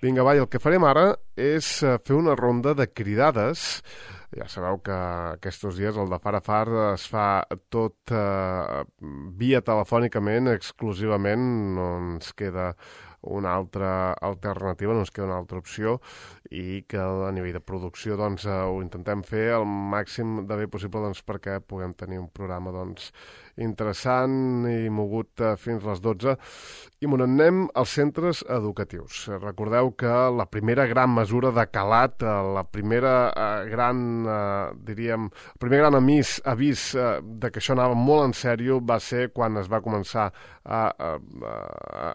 Vinga, va, i el que farem ara és fer una ronda de cridades. Ja sabeu que aquests dies el de Far a Far es fa tot via telefònicament, exclusivament, no ens queda una altra alternativa, no ens queda una altra opció, i que a nivell de producció doncs, ho intentem fer el màxim de bé possible doncs, perquè puguem tenir un programa doncs, interessant i mogut fins a les 12. I me n'anem als centres educatius. Recordeu que la primera gran mesura de calat, la primera el primer gran avís de que això anava molt en sèrio va ser quan es va començar a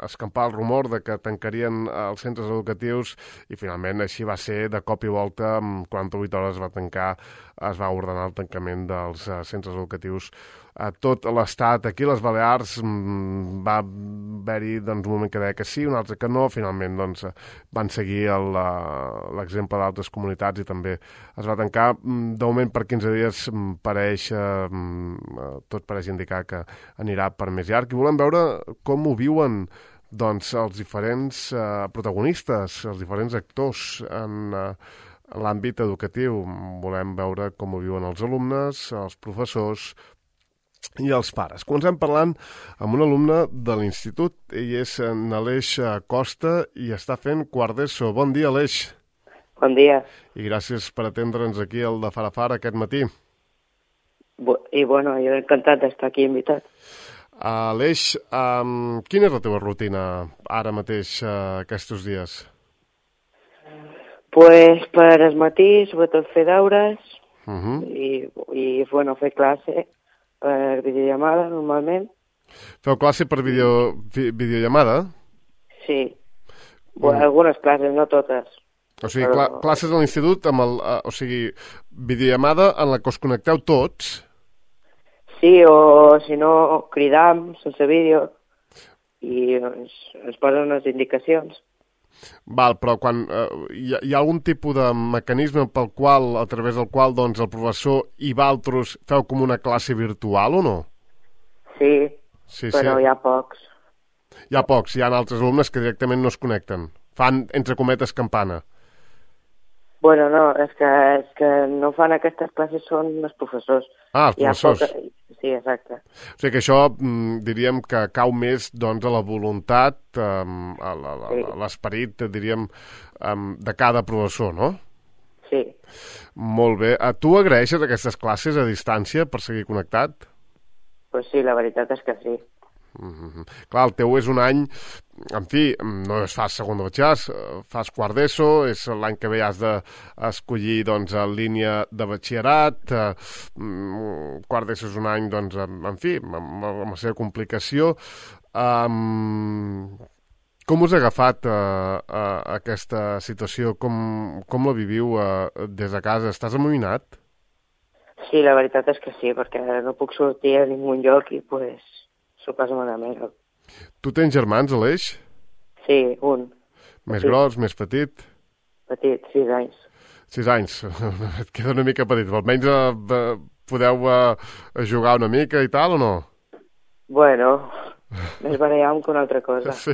escampar el rumor de que tancarien els centres educatius, i finalment així va ser. De cop i volta, en 48 hores es va ordenar el tancament dels centres educatius a tot l'estat. Aquí a les Balears va haver-hi doncs, un moment que deia que sí, un altre que no. Finalment doncs, van seguir l'exemple d'altres comunitats i també es va tancar. De moment per 15 dies tot pareix indicar que anirà per més llarg, i volem veure com ho viuen doncs, els diferents protagonistes, els diferents actors en l'àmbit educatiu. Volem veure com ho viuen els alumnes, els professors i els pares. Comencem parlant amb un alumne de l'institut. Ell és n'Aleix Costa i està fent quart d'ESO. Bon dia, Aleix. Bon dia. I gràcies per atendre'ns aquí al de Far a Far aquest matí. I bueno, jo he encantat d'estar aquí invitat. Aleix, quina és la teva rutina ara mateix aquests dies? Pues per al matí, sobretot fer deures i bueno, fer classe per videollamada, normalment. Feu classe per videollamada? Sí. Algunes classes, no totes. O sigui, classes a l'institut amb videollamada en la que us connecteu tots? Sí, o si no, cridam sense vídeo i ens posen unes indicacions. Val, però quan hi ha algun tipus de mecanisme a través del qual doncs, el professor i vosaltres feu com una classe virtual o no? Sí, però hi ha pocs. Hi ha altres alumnes que directament no es connecten. Fan, entre cometes, campana. Bueno, no, és que no fan aquestes classes, són els professors. Ah, els professors. Sí, exacte. O sigui que això diríem que cau més doncs, a la voluntat, a l'esperit, diríem, de cada professor, no? Sí. Molt bé. Tu agraeixes aquestes classes a distància per seguir connectat? Pues sí, la veritat és que sí. Clar, el teu és un any, en fi, no es fas segon de batxillerat, fas quart d'ESO, és l'any que ve has d'escollir doncs, en línia de batxillerat, quart d'ESO és un any, doncs, en fi, amb la seva complicació. Com us ha agafat aquesta situació? Com la viviu des de casa? Estàs amoïnat? Sí, la veritat és que sí, perquè no puc sortir a ningú lloc i pues s'ho passo malament. Tu tens germans, Aleix? Sí, un. Més gros, més petit? Petit, 6 anys. 6 anys, et queda una mica petit. Almenys podeu jugar una mica i tal, o no? Bueno, més barallam que una altra cosa. Sí.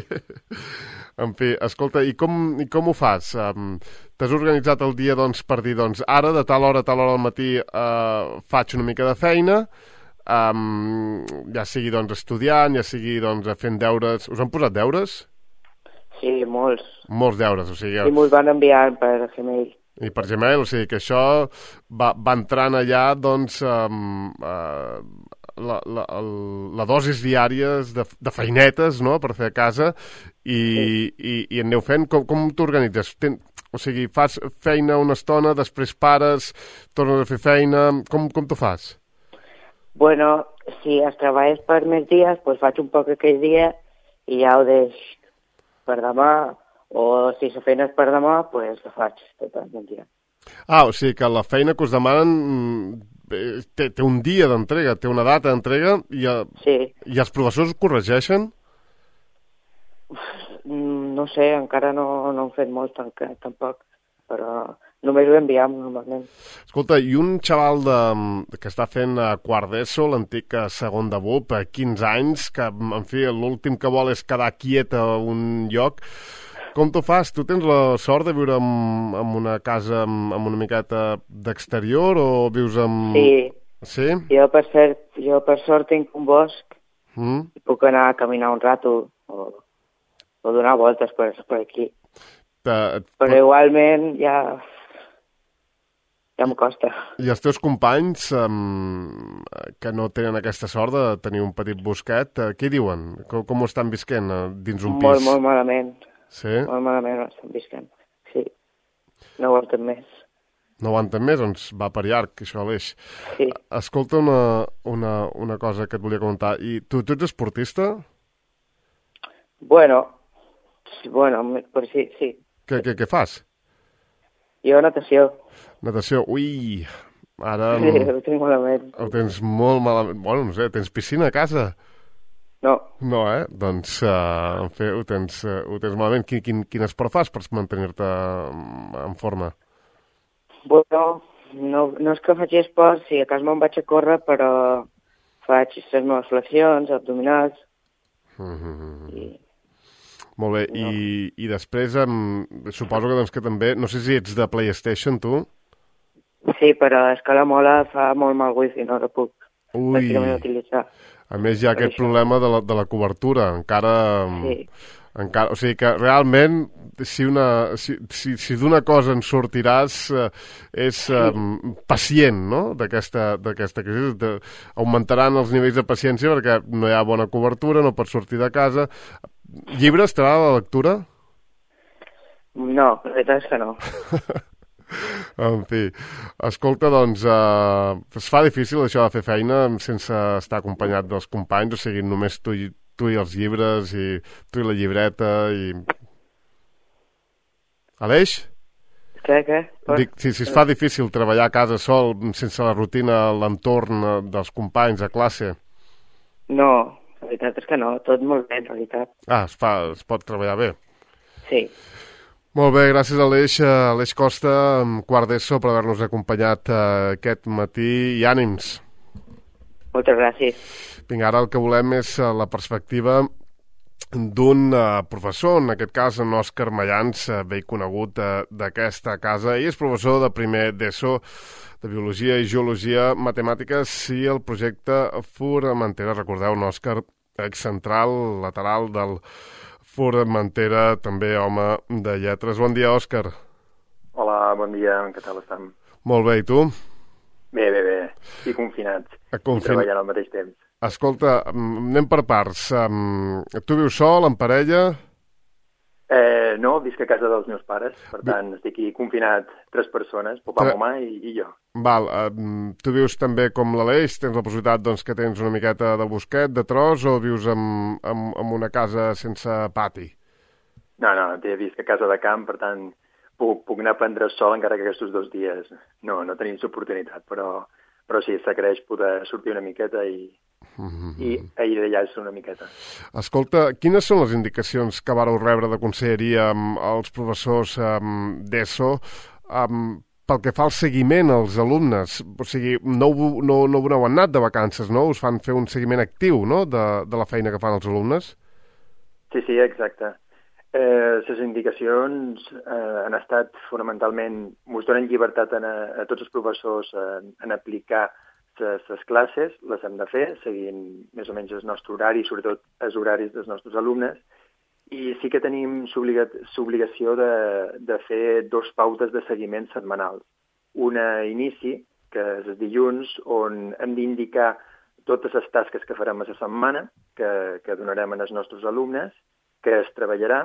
En fi, escolta, i com ho fas? T'has organitzat el dia doncs, per dir, doncs, ara, de tal hora al matí, faig una mica de feina, ja sigui doncs, estudiant, ja sigui doncs, fent deures. Us han posat deures? Sí, molts. Molts deures, o sigui... I me'ls van enviar per Gmail. I per Gmail, o sigui que això va entrant allà, doncs, la dosis diàries de feinetes, no?, per fer a casa, i aneu fent. Com t'organitzes? O sigui, fas feina una estona, després pares, tornes a fer feina... Com t'ho fas? Bueno, si es treballes per més dies, doncs faig un poc aquell dia i ja ho deix per demà, o si la feina és per demà, doncs la faig tot el dia. Ah, o sigui que la feina que us demanen té un dia d'entrega, té una data d'entrega, sí. I els professors corregeixen? No sé, encara no han fet molt tampoc, però només ho enviem normalment. Escolta, i un xaval que està fent quart d'ESO, l'antic segon de BUP, 15 anys, que, en fi, l'últim que vol és quedar quiet a un lloc, Com t'ho fas? Tu tens la sort de viure en una casa amb una miqueta d'exterior o vius amb... Sí. Sí? Jo, per sort, tinc un bosc i puc anar a caminar un rato o donar voltes per aquí. Però igualment ja em costa. I els teus companys que no tenen aquesta sort de tenir un petit bosquet, què diuen? Com ho estan visquent dins un pis? Molt malament. Sí? Molt malament ho estan visquent. Sí. No aguanten més. No aguanten més? Doncs va per llarg, això, Aleix. Sí. Escolta una cosa que et volia comentar. I tu ets esportista? Bueno, per sí. Què fas? Jo natació. Natació. Ui, ara... Sí, ho tinc malament. Ho tens molt malament. Bueno, no sé, tens piscina a casa? No. No, Doncs, en fi, ho tens malament. Quin esport fas per mantenir-te en forma? Bueno, no és que faci esport, sí, a casa me'n vaig a córrer, però faig les meves flexions, abdominals... Molt bé, no. I després suposo que, doncs, que també... No sé si ets de PlayStation, tu? Sí, però és que la mola fa molt mal wifi, no la puc pràcticament utilitzar. A més, hi ha aquest problema de la cobertura. Encara, o sigui que realment, si d'una cosa en sortiràs, és pacient, no?, d'aquesta crisi. Augmentaran els nivells de paciència perquè no hi ha bona cobertura, no pots sortir de casa... Llibres, t'agrada la lectura? No, la veritat és que no. En fi, escolta, doncs, es fa difícil això de fer feina sense estar acompanyat dels companys, o sigui, només tu i els llibres, i tu i la llibreta, i... Aleix? Què? Dic, si es fa difícil treballar a casa sol, sense la rutina, l'entorn dels companys, a classe... No, la veritat és que no, tot molt bé, en realitat. Es pot treballar bé. Sí. Molt bé, gràcies Aleix Costa, quart d'ESO, per haver-nos acompanyat aquest matí, i ànims. Moltes gràcies. Vinga, ara el que volem és la perspectiva d'un professor, en aquest cas en Òscar Mayans, vell conegut d'aquesta casa, i és professor de primer d'ESO, de Biologia i Geologia, Matemàtiques i el projecte Formentera. Recordeu, un Òscar excentral, lateral del Formentera, també home de lletres. Bon dia, Òscar. Hola, bon dia, què tal estem? Molt bé, i tu? Bé. I confinats. I treballant al mateix temps. Escolta, anem per parts. Tu vius sol, en parella? No, visc a casa dels meus pares, per tant, estic aquí confinat 3 persones, papà, mamà i jo. Val, tu vius també com l'Aleix? Tens la possibilitat, doncs, que tens una miqueta de bosquet, de tros, o vius en una casa sense pati? No, visc a casa de camp, per tant, puc anar a prendre sol, encara que aquests 2 dies no tenim l'oportunitat, però sí, s'agraeix poder sortir una miqueta i aïllar-se una miqueta. Escolta, quines són les indicacions que vareu rebre de conselleria als professors d'ESO pel que fa al seguiment als alumnes? O sigui, no heu anat de vacances, no? Us fan fer un seguiment actiu, no?, de la feina que fan els alumnes? Sí, exacte. Les indicacions han estat fonamentalment, ens donen llibertat a tots els professors en aplicar les classes, les hem de fer, seguint més o menys el nostre horari, sobretot els horaris dels nostres alumnes, i sí que tenim l'obligació de fer 2 pautes de seguiment setmanals. Una a inici, que és el dilluns, on hem d'indicar totes les tasques que farem a la setmana, que donarem als nostres alumnes, que es treballarà,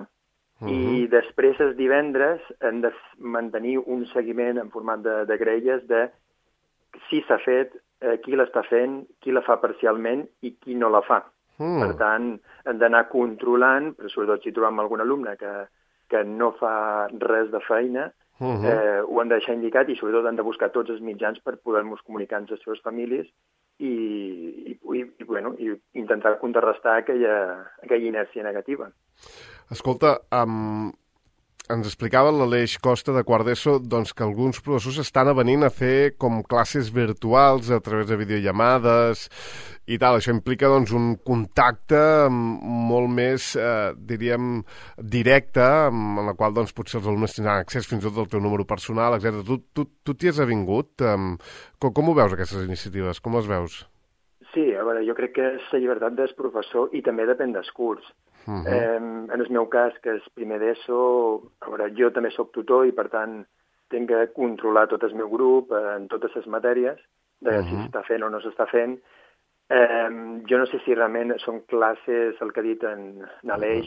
i després els divendres hem de mantenir un seguiment en format de grelles de si s'ha fet, qui l'està fent, qui la fa parcialment i qui no la fa. Per tant, hem d'anar controlant, però sobretot si trobem algun alumne que no fa res de feina, ho hem de deixar indicat i sobretot hem de buscar tots els mitjans per poder-nos comunicar amb les seves famílies i intentar contrarrestar aquella inèrcia negativa. Escolta, ens explicava l'Aleix Costa de quart d'ESO doncs, que alguns professors estan venint a fer com classes virtuals a través de videollamades i tal. Això implica doncs, un contacte molt més, diríem, directe, en la qual doncs, potser els alumnes tindran accés fins i tot al teu número personal, etc. Tu t'hi has avingut? Com ho veus, aquestes iniciatives? Com les veus? Sí, a veure, jo crec que és la llibertat del professor i també depèn dels curs. En el meu cas, que és primer d'ESO, a veure, jo també sóc tutor i, per tant, tinc que controlar tot el meu grup en totes les matèries, de si s'està fent o no s'està fent. Jo no sé si realment són classes, el que ha dit en Aleix,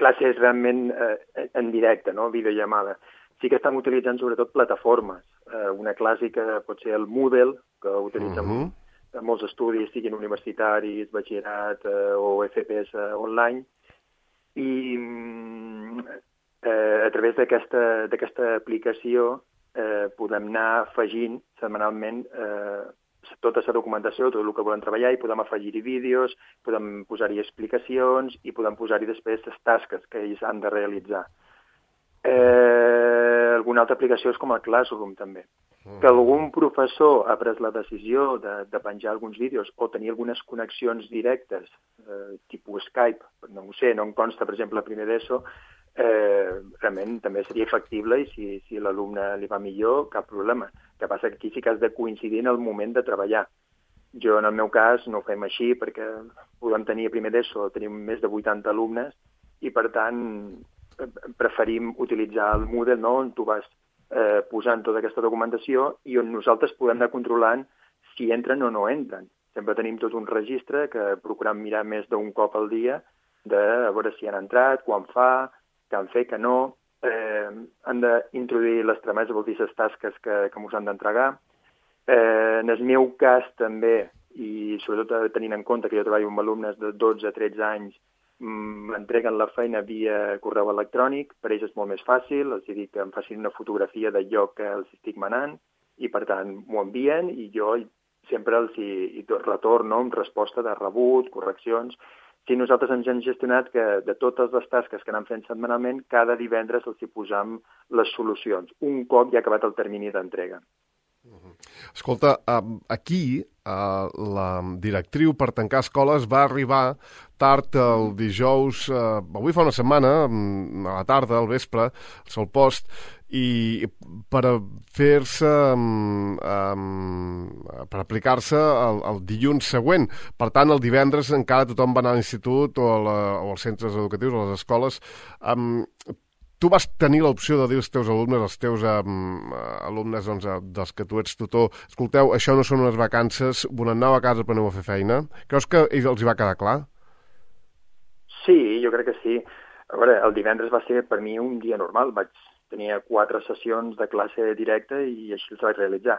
classes realment en directe, no? Videollamada. Sí que estem utilitzant sobretot plataformes. Una clàssica pot ser el Moodle, que utilitzen molts estudis, siguin universitaris, batxillerat o FPs online, i a través d'aquesta aplicació podem anar afegint setmanalment tota la documentació, tot el que volem treballar, i podem afegir-hi vídeos, podem posar-hi explicacions i podem posar-hi després les tasques que ells han de realitzar. Alguna altra aplicació és com el Classroom, també. Que algun professor ha pres la decisió de penjar alguns vídeos o tenir algunes connexions directes, tipus Skype, no ho sé, no em consta, per exemple, a primer d'ESO, realment també seria factible i si l'alumne li va millor, cap problema. El que passa que aquí sí que has de coincidir en el moment de treballar. Jo, en el meu cas, no ho fem així perquè podem tenir a primer d'ESO, tenim més de 80 alumnes i, per tant, preferim utilitzar el Moodle, no?, on tu vas posant tota aquesta documentació i on nosaltres podem anar controlant si entren o no entren. Sempre tenim tot un registre que procurem mirar més d'un cop al dia de a veure si han entrat, quan fa, què han fet, què no. Han d'introduir les trameses, vol dir les tasques que ens han d'entregar. En el meu cas també, i sobretot tenint en compte que jo treballo amb alumnes de 12 a 13 anys, m'entreguen la feina via correu electrònic, per ells és molt més fàcil, els dic que em facin una fotografia del lloc que els estic manant i, per tant, m'ho envien i jo sempre els hi retorno amb resposta de rebut, correccions. Si nosaltres ens hem gestionat que de totes les tasques que anem fent setmanalment, cada divendres els hi posam les solucions, un cop ja ha acabat el termini d'entrega. Escolta, aquí la directriu per tancar escoles va arribar tard el dijous, avui fa una setmana, a la tarda, al vespre, al Sol Post, i per fer-se, per aplicar-se el dilluns següent. Per tant, el divendres encara tothom va anar a l'institut o als centres educatius, a les escoles. Tu vas tenir l'opció de dir als teus alumnes, als teus alumnes doncs, dels que tu ets tutor, escolteu, això no són unes vacances, aneu a casa però aneu a fer feina. Creus que els hi va quedar clar? Sí, jo crec que sí. A veure, el divendres va ser per mi un dia normal. Tenia 4 sessions de classe directa i així els vaig realitzar.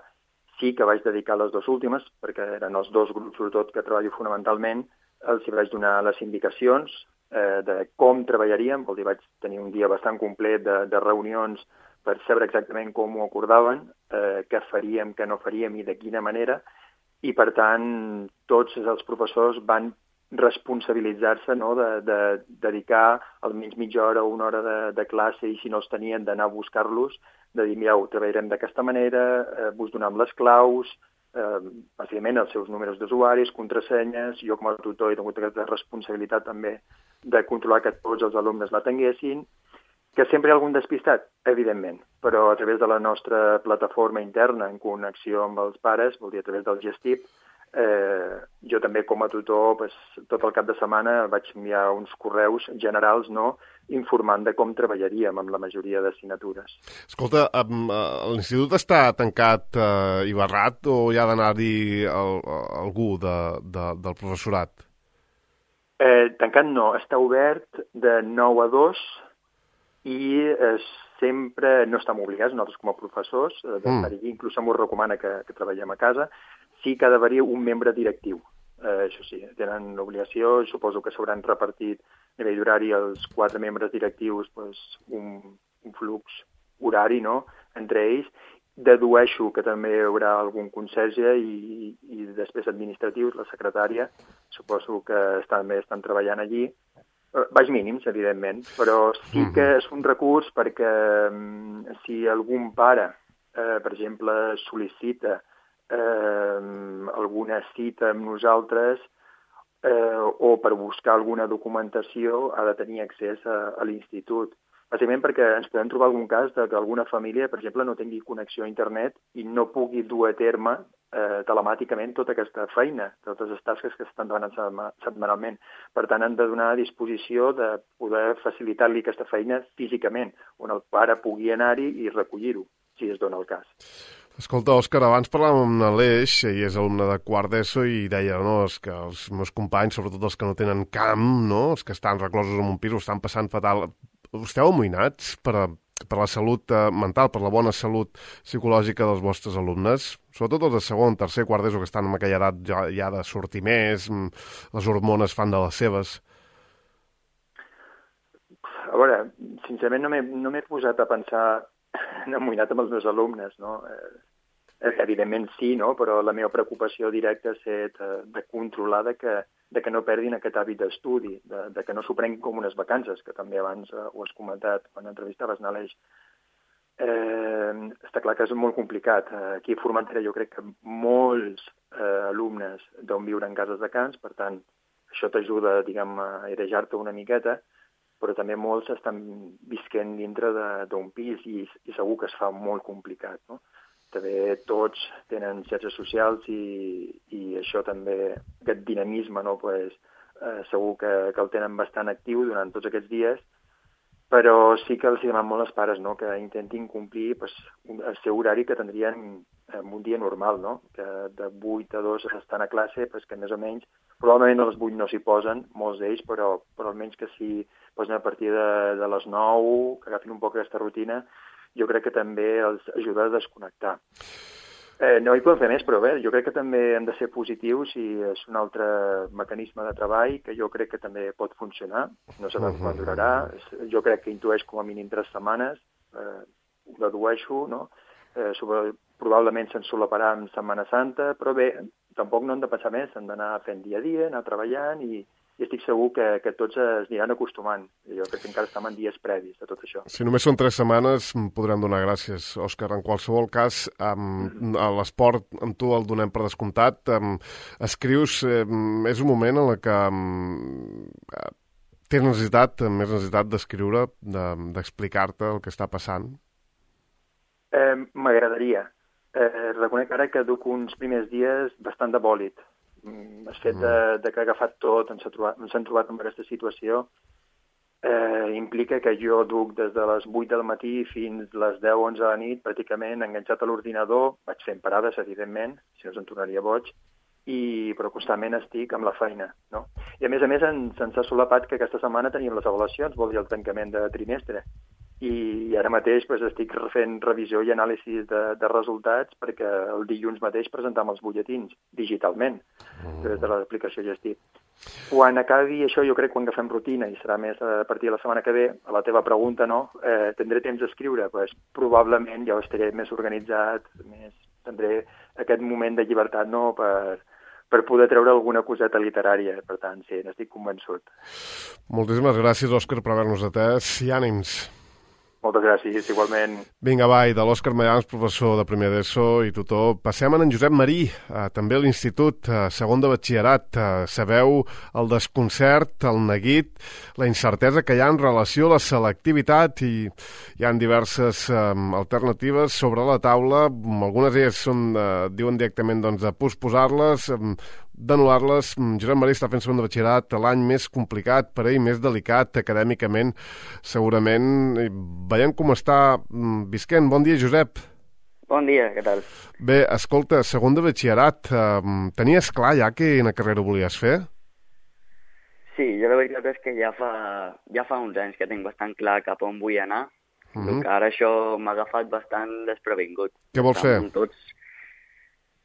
Sí que vaig dedicar les 2 últimes, perquè eren els 2 grups, sobretot, que treballo fonamentalment, els hi vaig donar les indicacions de com treballaríem, vol dir, vaig tenir un dia bastant complet de reunions per saber exactament com ho acordaven, què faríem, què no faríem i de quina manera, i per tant tots els professors van responsabilitzar-se, no?, de dedicar almenys mitja hora o una hora de classe i si no els tenien d'anar a buscar-los, de dir, mireu, treballarem d'aquesta manera, vos donem les claus, bàsicament els seus números d'usuaris, contrasenyes, jo com a tutor he tingut aquesta responsabilitat també de controlar que tots els alumnes la tinguessin, que sempre hi ha algun despistat, evidentment, però a través de la nostra plataforma interna en connexió amb els pares, vol dir a través del Gestip, jo també com a tutor tot el cap de setmana vaig enviar uns correus generals, no?, informant de com treballaríem amb la majoria d'assignatures. Escolta, l'institut està tancat i barrat o hi ha d'anar-hi algú del professorat? Tancat no, està obert de 9 a 2 i sempre no estem obligats, nosaltres com a professors, d'estar-hi, inclús m'ho recomana que treballem a casa, sí que ha d'haver-hi un membre directiu. Això sí, tenen l'obligació, suposo que s'hauran repartit a nivell d'horari els 4 membres directius un flux horari, no?, entre ells. Dedueixo que també hi haurà algun conserge i després administratius, la secretària, suposo que també estan treballant allí. baix mínims, evidentment, però sí que és un recurs perquè si algun pare, per exemple, sol·licita alguna cita amb nosaltres o per buscar alguna documentació ha de tenir accés a l'institut. Bàsicament perquè ens podem trobar algun cas que alguna família, per exemple, no tingui connexió a internet i no pugui dur a terme telemàticament tota aquesta feina, totes les tasques que s'estan donant setmanalment. Per tant, han de donar a disposició de poder facilitar-li aquesta feina físicament, on el pare pugui anar-hi i recollir-ho, si es dona el cas. Escolta, Òscar, abans parlàvem amb l'Aleix, i és alumne de quart d'ESO, i deia, no, és que els meus companys, sobretot els que no tenen camp, no, els que estan reclosos en un pis, ho estan passant fatal. Esteu amoïnats per la salut mental, per la bona salut psicològica dels vostres alumnes? Sobretot els de segon, tercer, quart d'ESO, que estan en aquella edat ja de sortir més, les hormones fan de les seves. A veure, sincerament no m'he posat a pensar amoïnat amb els meus alumnes, no? Evidentment sí, no? Però la meva preocupació directa ha estat de controlar de que no perdin aquest hàbit d'estudi, de que no s'ho prenguin com unes vacances, que també abans ho has comentat quan entrevistaves Aleix. Està clar que és molt complicat. Aquí a Formentera jo crec que molts alumnes deuen viure en cases de camps, per tant, això t'ajuda, diguem, a airejar-te una miqueta, però també molts estan visquent dintre d'un pis i segur que es fa molt complicat, no? També tots tenen xarxes socials i això també, aquest dinamisme, no? Pues, segur que el tenen bastant actiu durant tots aquests dies, però sí que els demanem molt als pares, no? Que intentin complir pues, el seu horari que tindrien en un dia normal, no? Que de 8 a 2 estan a classe, pues, que més o menys, probablement a les 8 no s'hi posen, molts d'ells, però almenys que s'hi posen a partir de les 9, que agafin un poc aquesta rutina, jo crec que també els ajuda a desconnectar. No hi podem fer més, però bé, jo crec que també hem de ser positius i és un altre mecanisme de treball que jo crec que també pot funcionar. No sabem quan durarà. Jo crec que intueix com a mínim 3 setmanes. Ho dedueixo, no? Probablement se'n solaparà en Setmana Santa, però bé, tampoc no hem de pensar més. Hem d'anar fent dia a dia, anar treballant i estic segur que tots es aniran acostumant. Jo crec que encara estem en dies previs de tot això. Si només són 3 setmanes, podrem donar gràcies, Òscar. En qualsevol cas, a l'esport amb tu el donem per descomptat. Escrius, és un moment en què tens més necessitat d'escriure, d'explicar-te el que està passant? M'agradaria. Reconec ara que duc uns primers dies bastant de bòlit. El fet de que ha agafat tot, ens hem trobat en aquesta situació, implica que jo duc des de les 8 del matí fins les 10-11 de la nit pràcticament enganxat a l'ordinador, vaig fent parades, evidentment, si no se'n tornaria boig, però constantment estic amb la feina, no? I a més ens ha solapat que aquesta setmana teníem les avaluacions, vol dir el tancament de trimestre, i ara mateix pues, estic fent revisió i anàlisi de resultats perquè el dilluns mateix presentam els butlletins digitalment des de l'aplicació Gestí. Quan acabi això, jo crec, quan agafem rutina, i serà més a partir de la setmana que ve, a la teva pregunta, no? Tindré temps d'escriure? Pues, probablement ja estaré més organitzat, tindré aquest moment de llibertat, no?, per poder treure alguna coseta literària. Per tant, sí, n'estic convençut. Moltíssimes gràcies, Òscar, per haver-nos atès i ànims. Moltes gràcies, igualment. Vinga, va, i de l'Òscar Mayans, professor de primer d'ESO i tutor, passem a en Josep Marí, també a l'institut, segon de batxillerat. Sabeu el desconcert, el neguit, la incertesa que hi ha en relació a la selectivitat i hi ha diverses alternatives sobre la taula. Algunes d'elles diuen directament de posposar-les, d'anul·lar-les. Josep Marí està fent segon de batxillerat, l'any més complicat per ell, més delicat acadèmicament, segurament. Veiem com està visquent. Bon dia, Josep. Bon dia, què tal? Bé, escolta, segon de batxillerat, tenies clar ja quina carrera volies fer? Sí, jo la veritat és que ja fa uns anys que tinc bastant clar cap on vull anar, que ara això m'ha agafat bastant desprevingut. Què vols fer?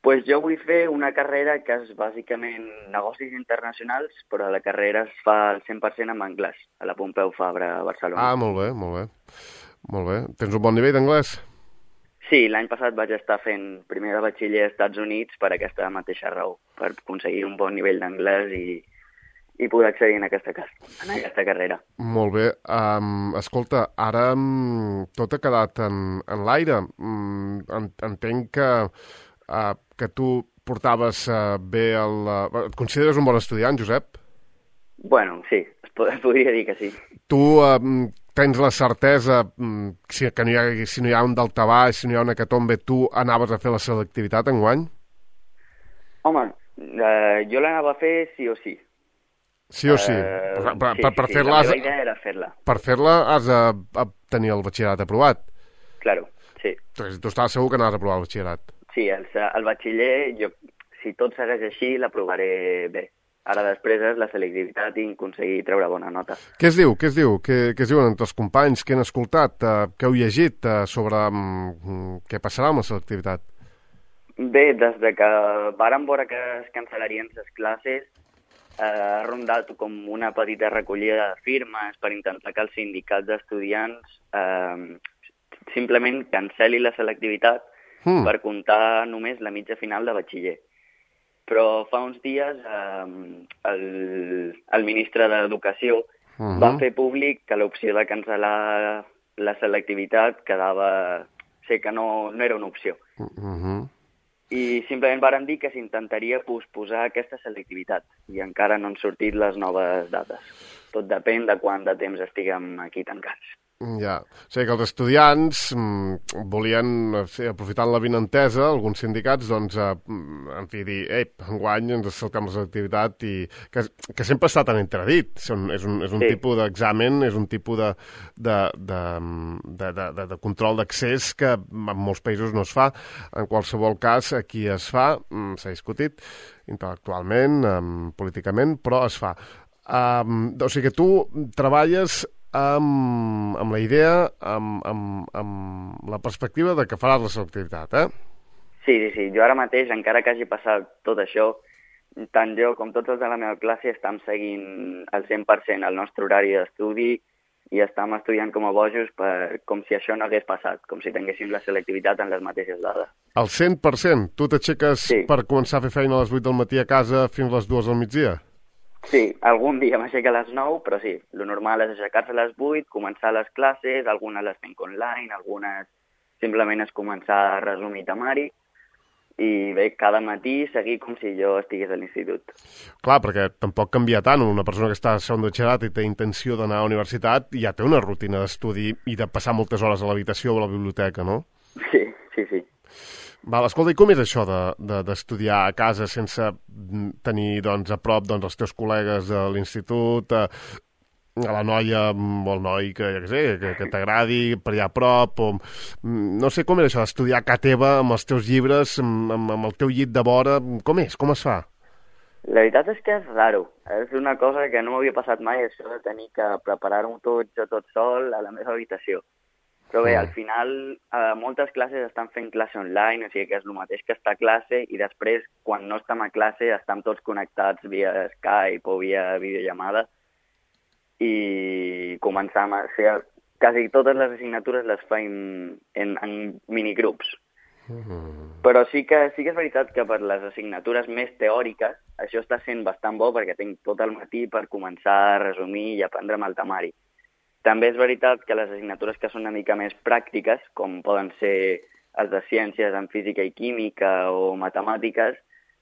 Pues jo vull fer una carrera que és bàsicament negocis internacionals, però la carrera es fa al 100% en anglès, a la Pompeu Fabra, a Barcelona. Ah, molt bé, molt bé. Molt bé. Tens un bon nivell d'anglès? Sí, l'any passat vaig estar fent primer de batxiller als Estats Units per aquesta mateixa raó, per aconseguir un bon nivell d'anglès i poder accedir en aquesta carrera. Molt bé. Escolta, ara tot ha quedat en l'aire. Entenc que tu portaves bé et consideres un bon estudiant, Josep? Bueno, sí, es podria dir que sí. Tu tens la certesa que si no hi ha un daltabaix, si no hi ha una hecatombe, tu anaves a fer la selectivitat enguany? Home, jo l'anava a fer sí o sí. Sí o sí? Per fer-la... La meva idea era fer-la. Per fer-la has de tenir el batxillerat aprovat. Claro, sí. Tu estaves segur que anaves a aprovar el batxillerat. Sí, el batxiller, si tot segueix així, l'aprovaré bé. Ara després és la selectivitat i aconseguir treure bona nota. Què es diu? Què es diuen entre els companys? Què han escoltat? Què heu llegit sobre què passarà amb la selectivitat? Bé, des de que vàrem veure que es cancel·larien les classes, ha rondat com una petita recollida de firmes per intentar que els sindicats d'estudiants simplement cancel·li la selectivitat per comptar només la mitja final de batxiller. Però fa uns dies el ministre d'Educació va fer públic que l'opció de cancel·lar la selectivitat sé que no era una opció. I simplement varen dir que s'intentaria posposar aquesta selectivitat i encara no han sortit les noves dates. Tot depèn de quant de temps estiguem aquí tancats. Ja, o sigui que els estudiants volien, aprofitant la vinentesa, alguns sindicats, doncs, en fi, dir, enguany ens saltem la selectivitat i que sempre està tan entredit. És un tipus d'examen, és un tipus de control d'accés que en molts països no es fa. En qualsevol cas, aquí es fa, s'ha discutit intel·lectualment, políticament, però es fa. O sigui que tu treballes amb la idea, amb la perspectiva de que faràs la selectivitat, eh? Sí. Jo ara mateix, encara que hagi passat tot això, tant jo com tots els de la meva classe estem seguint al 100% el nostre horari d'estudi i estem estudiant com a bojos com si això no hagués passat, com si tinguéssim la selectivitat en les mateixes dades. Al 100%? Tu t'aixeques per començar a fer feina a les 8 del matí a casa fins a les 2 del migdia? Sí, algun dia m'aixeca a les 9, però sí, lo normal és aixecar-se a les 8, començar les classes, algunes les fem online, algunes simplement és començar a resumir temari, i bé, cada matí seguir com si jo estigués a l'institut. Clar, perquè tampoc canvia tant. Una persona que està a segon de batxillerat i té intenció d'anar a la universitat ja té una rutina d'estudi i de passar moltes hores a l'habitació o a la biblioteca, no? Sí. Val, escolta, i com és això d'estudiar a casa sense tenir doncs, a prop els teus col·legues de l'institut, a la noia o el noi que t'agradi per allà a prop, o no sé com és això d'estudiar a casa teva amb els teus llibres, amb el teu llit de vora, com és? Com es fa? La veritat és que és raro. És una cosa que no m'havia passat mai, això de tenir que preparar-ho tot sol a la meva habitació. Però bé, al final, moltes classes estan fent classe online, o sigui que és el mateix que estar a classe, i després, quan no estem a classe, estem tots connectats via Skype o via videollamada, i començam a fer... Quasi totes les assignatures les fem en minigrups. Però sí que és veritat que per les assignatures més teòriques això està sent bastant bo perquè tinc tot el matí per començar a resumir i aprendre'm el temari. També és veritat que les assignatures que són una mica més pràctiques, com poden ser els de ciències en física i química o matemàtiques,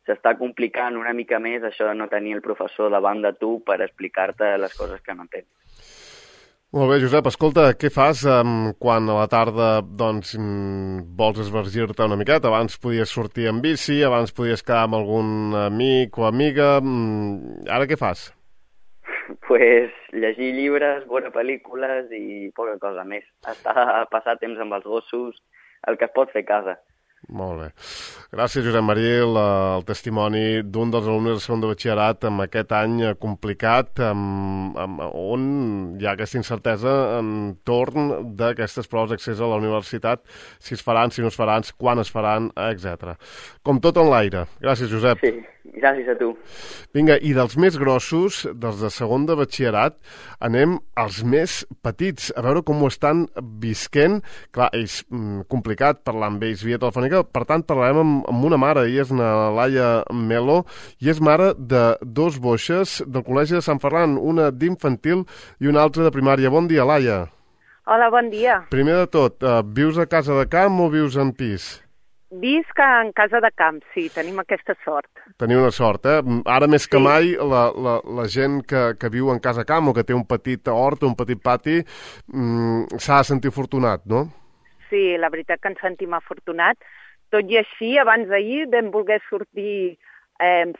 s'està complicant una mica més això de no tenir el professor davant de tu per explicar-te les coses que no entens. Molt bé, Josep, escolta, què fas quan a la tarda doncs, vols esvergir-te una miqueta? Abans podies sortir en bici, abans podies quedar amb algun amic o amiga. Ara què fas? Pues llegir llibres, veure pel·lícules i poca cosa més. Passar temps amb els gossos, el que es pot fer a casa. Molt bé. Gràcies, Josep Maril, el testimoni d'un dels alumnes de segon de batxillerat amb aquest any complicat, on hi ha aquesta incertesa entorn d'aquestes proves d'accés a la universitat, si es faran, si no es faran, quan es faran, etc. Com tot en l'aire. Gràcies, Josep. Sí. Gràcies a tu. Vinga, i dels més grossos, dels de segon de batxillerat, anem als més petits, a veure com ho estan visquent. Clar, és complicat parlar amb ells via telefònica, per tant parlarem amb una mare, ella és na Laia Melo, i és mare de dos boixes del Col·legi de Sant Ferran, una d'infantil i una altra de primària. Bon dia, Laia. Hola, bon dia. Primer de tot, vius a casa de camp o vius en pis? Visc en casa de camp, sí, tenim aquesta sort. Teniu una sort, eh? Ara més que mai la gent que viu en casa camp o que té un petit hort o un petit pati s'ha de sentir afortunat, no? Sí, la veritat que ens sentim afortunats. Tot i així, abans d'ahir vam voler sortir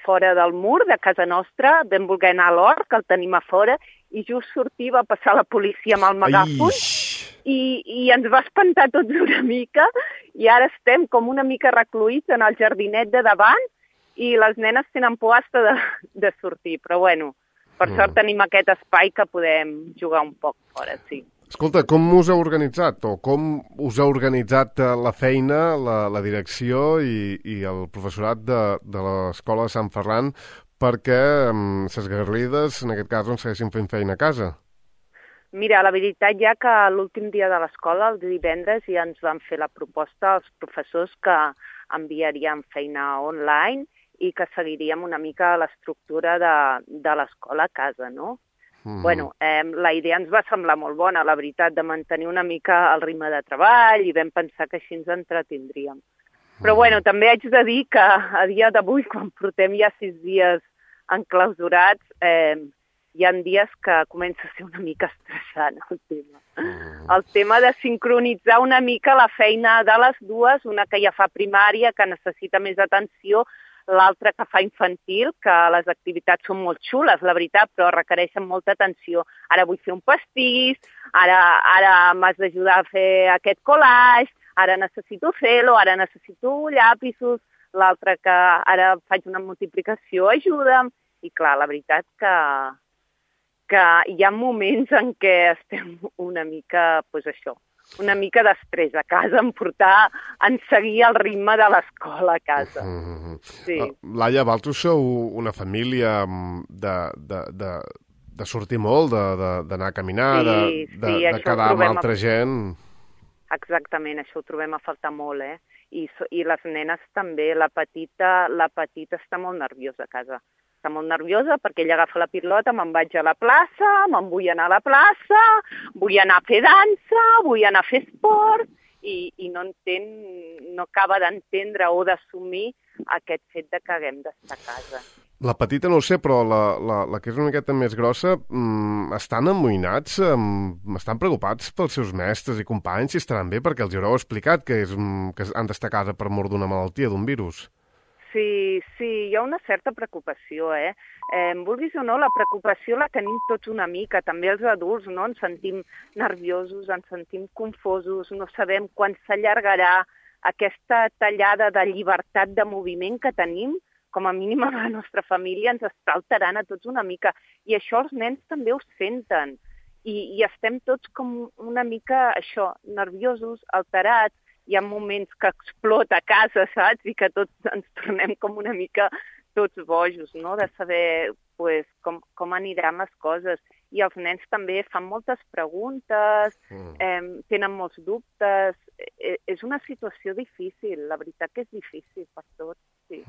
fora del mur de casa nostra, vam voler anar a l'hort, que el tenim a fora, i just sortir va passar la policia amb el megàfon i ens va espantar tots una mica, i ara estem com una mica recluïts en el jardinet de davant i les nenes tenen por hasta de sortir, però bueno, per sort tenim aquest espai que podem jugar un poc fora, sí. Escolta, com us heu organitzat o com us ha organitzat la feina, la direcció i el professorat de l'Escola de Sant Ferran perquè ses garrides, en aquest cas, doncs, segueixin fent feina a casa? Mira, la veritat ja que l'últim dia de l'escola, el divendres, ja ens van fer la proposta als professors que enviaríem feina online i que seguiríem una mica l'estructura de l'escola a casa, no? Bueno, la idea ens va semblar molt bona, la veritat, de mantenir una mica el ritme de treball i vam pensar que així ens entretindríem. Però bueno, també haig de dir que a dia d'avui, quan portem ja 6 dies enclausurats, hi ha dies que comença a ser una mica estressant el tema. El tema de sincronitzar una mica la feina de les dues, una que ja fa primària, que necessita més atenció, l'altra que fa infantil, que les activitats són molt xules, la veritat, però requereixen molta atenció. Ara vull fer un pastís, ara m'has d'ajudar a fer aquest collage, ara necessito fer-lo, ara necessito llapisos, l'altra que ara faig una multiplicació, ajuda'm. I clar, la veritat que hi ha moments en què estem una mica, doncs això, una mica d'estrès a casa, en seguir el ritme de l'escola a casa. Sí. Laia, vosaltres sou una família de sortir molt, d'anar a caminar, de quedar amb altra gent. Exactament, això ho trobem a faltar molt, eh? I les nenes també, la petita està molt nerviosa a casa. Està molt nerviosa perquè ella agafa la pilota, me'n vaig a la plaça, me'n vull anar a la plaça, vull anar a fer dansa, vull anar a fer esport, i no acaba d'entendre o d'assumir aquest fet de que haguem d'estar a casa. La petita no ho sé, però la que és una miqueta més grossa, estan amoïnats, estan preocupats pels seus mestres i companys, si estaran bé, perquè els haureu explicat que han d'estar a casa per mort d'una malaltia, d'un virus. Sí, hi ha una certa preocupació, eh? Vulguis o no, la preocupació la tenim tots una mica, també els adults, no? Ens sentim nerviosos, ens sentim confosos, no sabem quan s'allargarà aquesta tallada de llibertat de moviment que tenim, com a mínim a la nostra família ens està alterant a tots una mica. I això els nens també ho senten. I estem tots com una mica, això, nerviosos, alterats. Hi ha moments que explota a casa, saps? I que tots ens tornem com una mica tots bojos, no? De saber pues, com aniran les coses. I els nens també fan moltes preguntes, tenen molts dubtes. És una situació difícil, la veritat que és difícil per tots. Sí.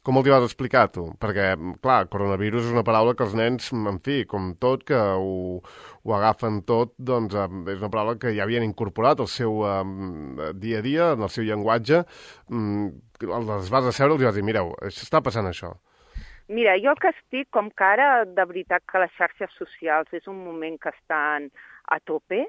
Com els hi vas explicar, tu? Perquè, clar, coronavirus és una paraula que els nens, en fi, com tot, que ho agafen tot, doncs és una paraula que ja havien incorporat al seu dia a dia, en el seu llenguatge. Els vas asseure i els vas dir, mireu, està passant això. Mira, jo que estic, com que ara, de veritat que les xarxes socials és un moment que estan a tope,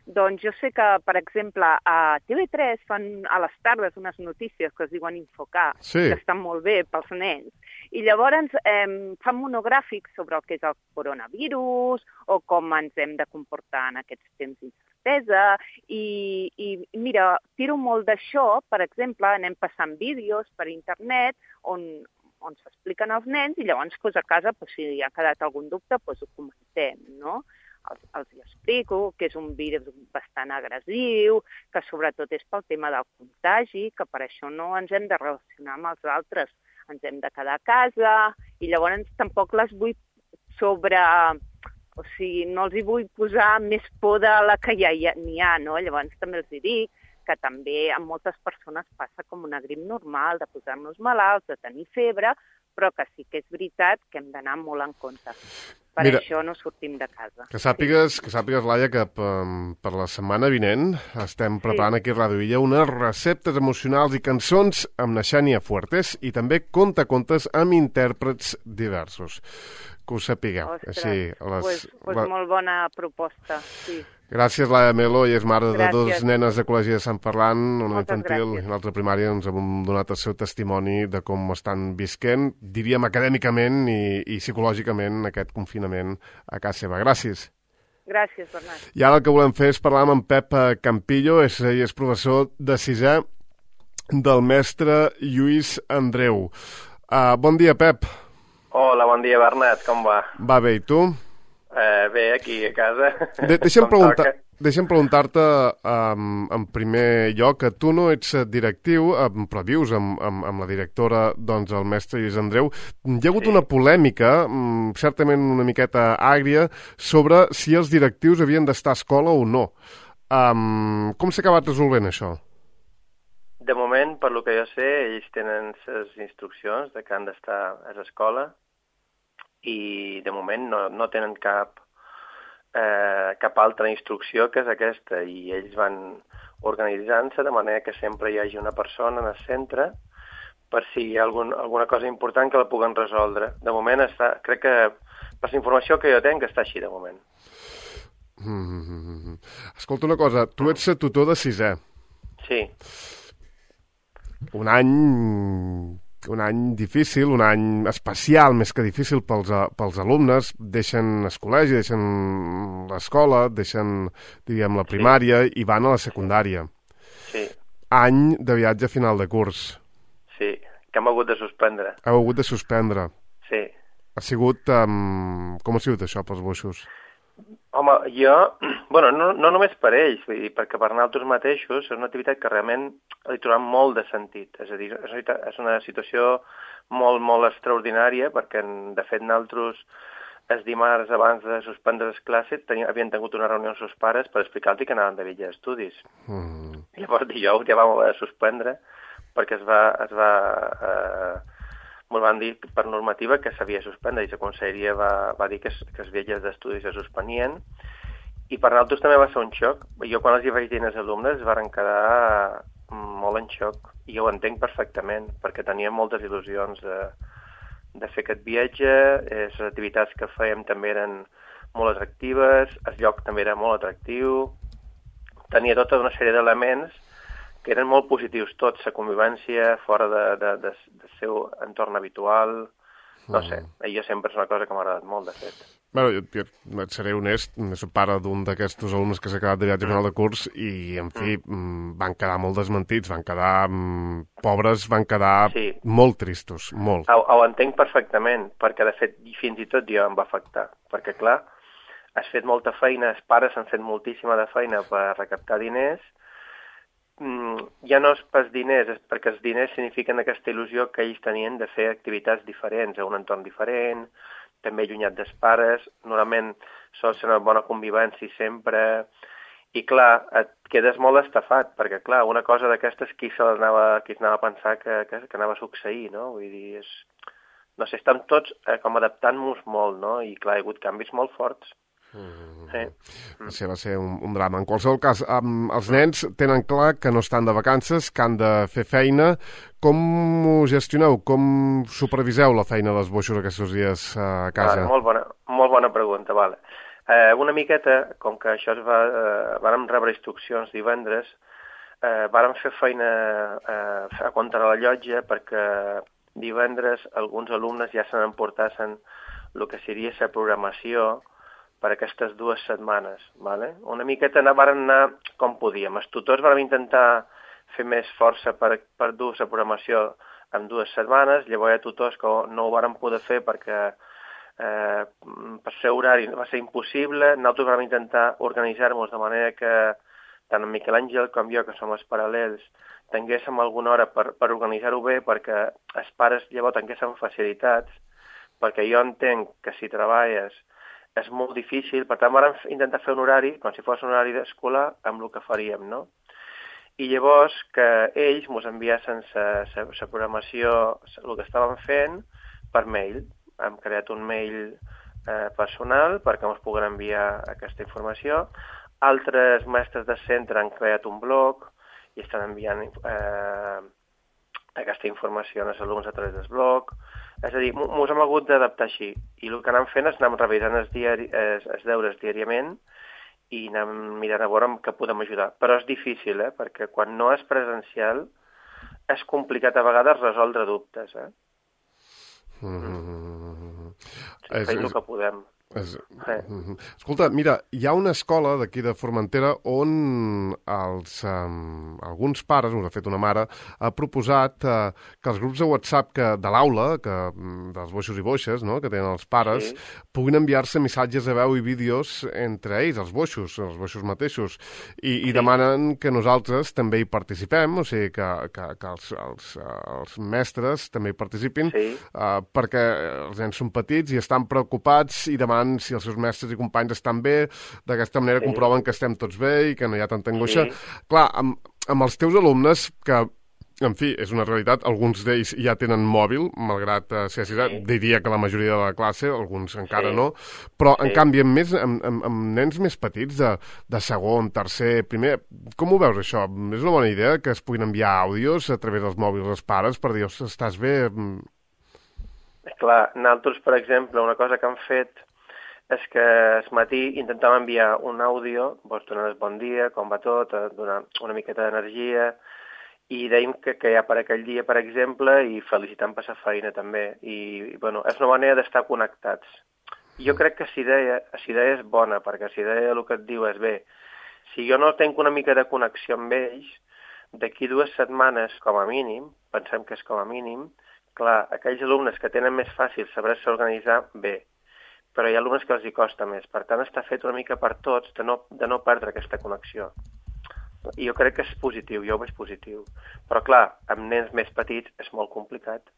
doncs jo sé que, per exemple, a TV3 fan a les tardes unes notícies que es diuen Infocar, que estan molt bé pels nens, i llavors fan monogràfics sobre el que és el coronavirus o com ens hem de comportar en aquests temps d'incertesa, i mira, tiro molt d'això, per exemple, anem passant vídeos per internet on s'expliquen als nens i llavors a casa, si hi ha quedat algun dubte, ho comentem, no? Els hi explico que és un virus bastant agressiu, que sobretot és pel tema del contagi, que per això no ens hem de relacionar amb els altres. ens hem de quedar a casa, i llavors tampoc les vull sobre... O sigui, no els hi vull posar més por de la que ja n'hi ha, no? Llavors també els dic que també a moltes persones passa com una grip normal, de posar-nos malalts, de tenir febre, però que sí que és veritat que hem d'anar molt en compte. Per això no sortim de casa. Que sàpigues, Laia, que per la setmana vinent estem preparant aquí a Ràdio Illa unes receptes emocionals i cançons amb na Xènia Fuertes i també contes amb intèrprets diversos. Que ho sapigueu. Ostres, doncs molt bona proposta, sí. Gràcies, Laia Melo, i és mare de dues nenes de col·legi de Sant Ferran, una infantil i una altra primària. Ens hem donat el seu testimoni de com estan visquent, diríem acadèmicament i psicològicament, aquest confinament a casa seva. Gràcies. Gràcies, Bernat. I ara el que volem fer és parlar amb en Pep Campillo, és professor de sisè del mestre Lluís Andreu. Bon dia, Pep. Hola, bon dia, Bernat, com va? Va bé, i tu? Bé, aquí a casa. Deixa'm preguntar-te en primer lloc que tu no ets directiu, però vius amb la directora, doncs, el mestre Lluís Andreu. Hi ha hagut una polèmica, certament una miqueta àgria, sobre si els directius havien d'estar a escola o no. Com s'ha acabat resolvent això? De moment, per lo que jo sé, ells tenen les instruccions de que han d'estar a l'escola i de moment no tenen cap altra instrucció que és aquesta, i ells van organitzant-se de manera que sempre hi hagi una persona en el centre per si hi ha alguna cosa important que la puguen resoldre. De moment crec que per la informació que jo tenc està així de moment. Escolta una cosa, tu ets tutor de sisè. Sí. Un any difícil, un any especial, més que difícil pels alumnes. Deixen el col·legi, deixen l'escola, deixen, diríem, la primària i van a la secundària. Sí. Any de viatge a final de curs. Sí, que hem hagut de suspendre. Heu hagut de suspendre. Sí. Ha sigut... com ha sigut això pels boixos? Home, no només per ells, vull dir, perquè per nosaltres mateixos és una activitat que realment li trobem molt de sentit. És a dir, és una situació molt, molt extraordinària, perquè, de fet, nosaltres el dimarts abans de suspendre les classes havien tingut una reunió amb els seus pares per explicar-los que anaven de viatge d'estudis. Llavors, dijous ja vam haver de suspendre perquè ens van dir per normativa que s'havia de suspendre i la conselleria va dir que els viatges d'estudis es suspenien, i per nosaltres també va ser un xoc. Jo quan els hi vaig dir als alumnes es van quedar molt en xoc, i jo ho entenc perfectament perquè teníem moltes il·lusions de fer aquest viatge, les activitats que fèiem també eren molt atractives, el lloc també era molt atractiu, tenia tota una sèrie d'elements que eren molt positius tots, la convivència fora del seu entorn habitual, no sé, jo sempre és una cosa que m'ha agradat molt, de fet. Bé, jo et seré honest, soc pare d'un d'aquests alumnes que s'ha quedat de viatge final de curs i, en fi, van quedar molt desmentits, van quedar pobres, van quedar molt tristos, molt. Ho entenc perfectament, perquè, de fet, fins i tot jo em va afectar, perquè, clar, has fet molta feina, els pares han fet moltíssima de feina per recaptar diners. Ja no és pels diners, és perquè els diners signifiquen aquesta il·lusió que ells tenien de fer activitats diferents, a un entorn diferent, també allunyat dels pares, normalment sol ser una bona convivència sempre, i clar, et quedes molt estafat, perquè clar, una cosa d'aquestes qui s'anava a pensar que anava a succeir, no? Vull dir, no sé, estem tots com adaptant-nos molt, no? I clar, hi ha hagut canvis molt forts. Va ser un drama. En qualsevol cas, els nens tenen clar que no estan de vacances, que han de fer feina. Com ho gestioneu? Com superviseu la feina dels boixos aquests dies a casa? Molt bona pregunta, vale. Una miqueta, com que això vàrem rebre instruccions divendres, vàrem fer feina a compte de la llotja, perquè divendres alguns alumnes ja se n'emportassen el que seria la programació per aquestes 2 setmanes. Vale? Una miqueta vàrem anar com podíem. Els tutors vàrem intentar fer més força per dur la programació en 2 setmanes, llavors hi ha tutors que no ho vàrem poder fer perquè per ser horari va ser impossible. Nosaltres vàrem intentar organitzar-nos de manera que tant en Miquel Àngel com jo, que som els paral·lels, tinguéssim alguna hora per organitzar-ho bé, perquè els pares llavors tinguéssim facilitats, perquè jo entenc que si treballes és molt difícil, per tant vam intentar fer un horari, com si fos un horari d'escolar, amb el que faríem, no? I llavors que ells ens enviassen la programació, el que estàvem fent, per mail. Hem creat un mail personal perquè ens puguin enviar aquesta informació. Altres mestres de centre han creat un blog i estan enviant aquesta informació als alumnes a través del blog. És a dir, ens hem hagut d'adaptar així. I el que anem fent és anem revisant els deures diàriament i anem mirant a veure què podem ajudar. Però és difícil, perquè quan no és presencial és complicat a vegades resoldre dubtes. Fem el que podem. Escolta, mira, hi ha una escola d'aquí de Formentera on alguns pares, de fet una mare, ha proposat que els grups de WhatsApp de l'aula, dels boixos i boixes, no?, que tenen els pares, puguin enviar-se missatges de veu i vídeos entre ells, els boixos mateixos, i demanen que nosaltres també hi participem, o sigui, que els mestres també hi participin, perquè els nens són petits i estan preocupats i demanen si els seus mestres i companys estan bé, d'aquesta manera comproven que estem tots bé i que no hi ha tanta angoixa. Clar, amb els teus alumnes, que, en fi, és una realitat, alguns d'ells ja tenen mòbil, malgrat ser així, diria que la majoria de la classe, alguns encara no, però, en canvi, amb nens més petits, de segon, tercer, primer, com ho veus, això? És una bona idea que es puguin enviar àudios a través dels mòbils dels pares per dir, estàs bé? Clar, nosaltres, per exemple, una cosa que han fet és que al matí intentàvem enviar un àudio, donant el bon dia, com va tot, donar una miqueta d'energia, i dèiem que hi ha per aquell dia, per exemple, i felicitant per la feina també. I, bueno, és una manera d'estar connectats. Jo crec que la idea és bona, perquè la idea el que et diu és bé. Si jo no tinc una mica de connexió amb ells, d'aquí 2 setmanes, com a mínim, pensem que és com a mínim, clar, aquells alumnes que tenen més fàcil saber-se organitzar, bé, però hi ha alumnes que els hi costa més. Per tant, està fet una mica per tots de no perdre aquesta connexió. I jo crec que és positiu, jo ho veig positiu. Però, clar, amb nens més petits és molt complicat.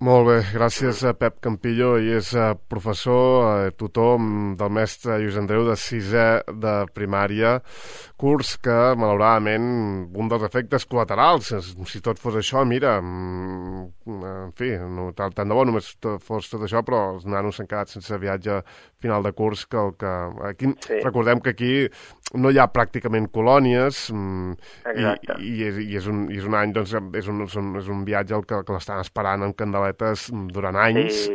Molt bé, gràcies a Pep Campillo, i és professor, tutor del mestre Lluís Andreu de 6è de primària, curs que, malauradament, un dels efectes col·laterals, si tot fos això, mira, en fi, tant de bo només fos tot això, però els nanos s'han quedat sense viatge final de curs, aquí, recordem que aquí no hi ha pràcticament colònies, i és un any, doncs, és un viatge que l'estan esperant amb candeletes durant anys.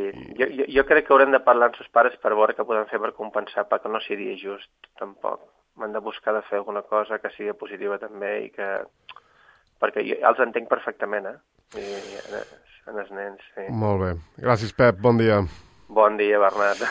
Jo crec que haurem de parlar amb els pares per veure què podem fer per compensar, perquè no seria just, tampoc. Hem de buscar de fer alguna cosa que sigui positiva també, i que... perquè jo els entenc perfectament, en els nens. Molt bé. Gràcies, Pep. Bon dia. Bon dia, Bernat.